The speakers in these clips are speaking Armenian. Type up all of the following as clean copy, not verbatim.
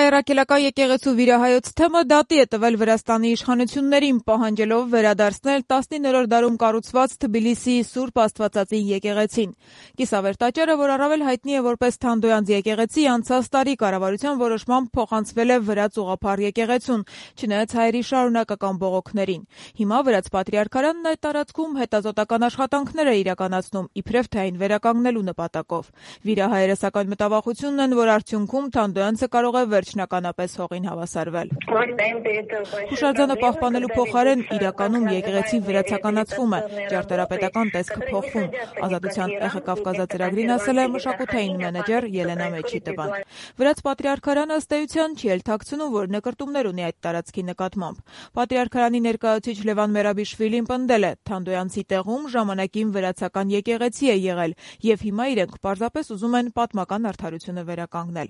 Հայ-առաքելական եկեղեցու վիրահայոց թեմը դատի է տվել Վրաստանի իշխանություններին, պահանջելով վերադարձնել 19-րդ դարում կառուցված Թբիլիսիի Սուրբ Աստվածածին եկեղեցին։ Կիսավեր տաճարը, որ առավել հայտնի է որպես Թանդոյանց եկեղեցի, անցած տարի կառավարության որոշմամբ փոխանցվել է Վրաց ուղղափառ եկեղեցուն, չնայած հայերի շարունակական բողոքներին։ Հիմա Վրաց պատրիարքարանն այդ տարածքում հետազոտական աշխատանքներ է իրականացնում, իբրև թե այն վերականգնելու նպատակով։ Վիրահայերը սակայն մտավախությունն են, որ արդյունքում Թանդոյանցը կարող է վերջնականապես հողին հավասարվել։ Հուշարձանը պահպանելու փոխարեն իրականում եկեղեցին վրացականացվում է, ճարտարապետական տեսքը փոխվում, Ազատության Կավկազա-ծրագրին ասել է մշակութային մենեջեր Ելենա Մեչիտովան։ Վրաց պատրիարքարանը ըստ էության չի էլ թաքցնում, որ նկրտումներ ունի այդ տարածքի նկատմամբ։ Պատրիարքարանի ներկայացուցիչ Լևան Մերաբիշվիլին պնդել է, Թանդոյանցի տեղում ժամանակին վրացական եկեղեցի է եղել, եւ հիմա իրենք պարզապես ուզում են պատմական արդարությունը վերականգնել։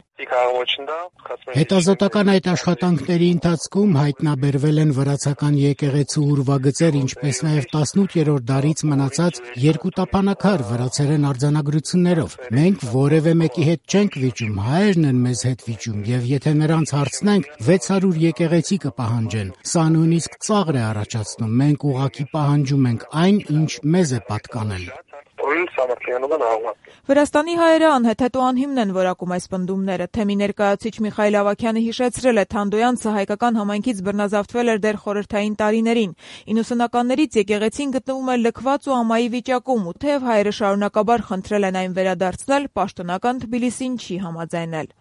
Հետազոտական այդ աշխատանքների ընթացքում հայտնաբերվել են վրացական եկեղեցու ուրվագծեր, ինչպես նաև 18-րդ դարից մնացած երկու տափանակար վրացերեն արձանագրություններով։ Մենք որևէ մեկի հետ չենք վիճում, հայերն են մեզ հետ վիճում, եւ եթե նրանց հարցնենք, 600 եկեղեցի կպահանջեն։ Սա նույնիսկ ծաղր է առաջացնում, մենք ուղղակի պահանջում ենք այն, ինչ մեզ է պատկանել։ Վրաստանի հայերը անհեթեթ ու անհիմն են որակում այս պնդումները։ Թեմի ներկայացուցիչ Միխայել Ավագյանը հիշեցրել է, Թանդոյանցը հայկական համայնքից բռնազավթվել էր դեռ խորհրդային տարիներին։ 90-ականներից եկեղեցին գտնվում է լքված ու ամայի վիճակում, ու թեև հայերը շարունակաբար խնդրել են այն վերադարձնել, պաշտոնական Թբիլիսին չի համաձայնել։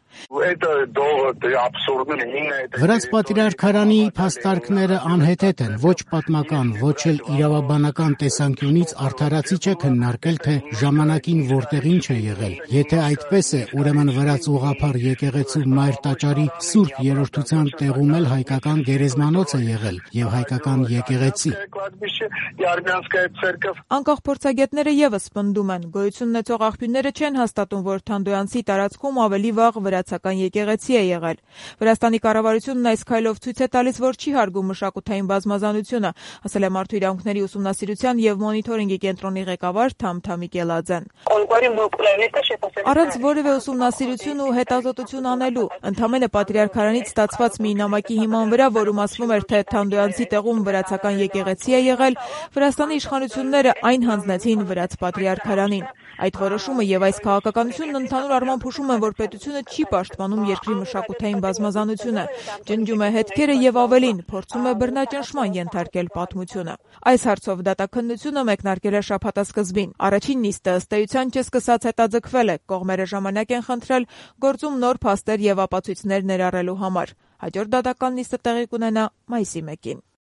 Վրաց պատրիարքարանի փաստարկները անհեթեթ են, ոչ պատմական, ոչ էլ իրավաբանական տեսանկյունից արդարացի չէ քննարկել, թե ժամանակին որտեղ ինչ է եղել։ Եթե այդպես է, ուրեմն Վրաց ուղղափառ եկեղեցու մայր տաճարի Սուրբ Երրորդության տեղում էլ հայկական գերեզմանոց է եղել եւ հայկական եկեղեցի։ Անկախ փորձագետները եւս պնդում են, գոյություն ունեցող աղբյուրները չեն հաստատում, որ Թանդոյանցի տարածքում ավելի վաղ վրացական եկեղեցի է եղել։ Վրաստանի կառավարությունն այս քայլով ցույց է տալիս, որ չի հարգում մշակութային բազմազանությունը, ասել է Մարդու իրավունքների ուսումնասիրության եւ մոնիթորինգի կենտրոնի ղեկավար Թամթամի Կելաձեն։ Առանց որևէ ուսումնասիրություն ու հետազոտություն անելու, ընդամենը պատրիարքարանից ստացված մի նամակի հիման վրա, որում ասվում էր, թե Թանդոյանցի տեղում վրացական եկեղեցի է եղել, Վրաստանի իշխանությունները այն հանձնեցին Վրաց պատրիարքարանին։ Այդ որոշումը եւ այս քաղաքականությունն ընդհանուր առմամբ հուշում են, որ պետությունը չի պաշտպանում երկրի մշակութային բազմազանությունը, ջնջում է հետքերը եւ ավելին, փորձում է բռնաճնշման ենթարկել պատմությունը։ Այս հարցով դատաքննությունը մեկնարկել է շաբաթասկզբին։ Առաջին նիստը ըստ էության չսկսած հետաձգվել է, կողմերը ժամանակ են խնդրել գործում նոր փաստեր եւ ապացույցներ ներառելու համար։ Հաջորդ դատական նիստը տեղի կունենա մայիսի 1-ին։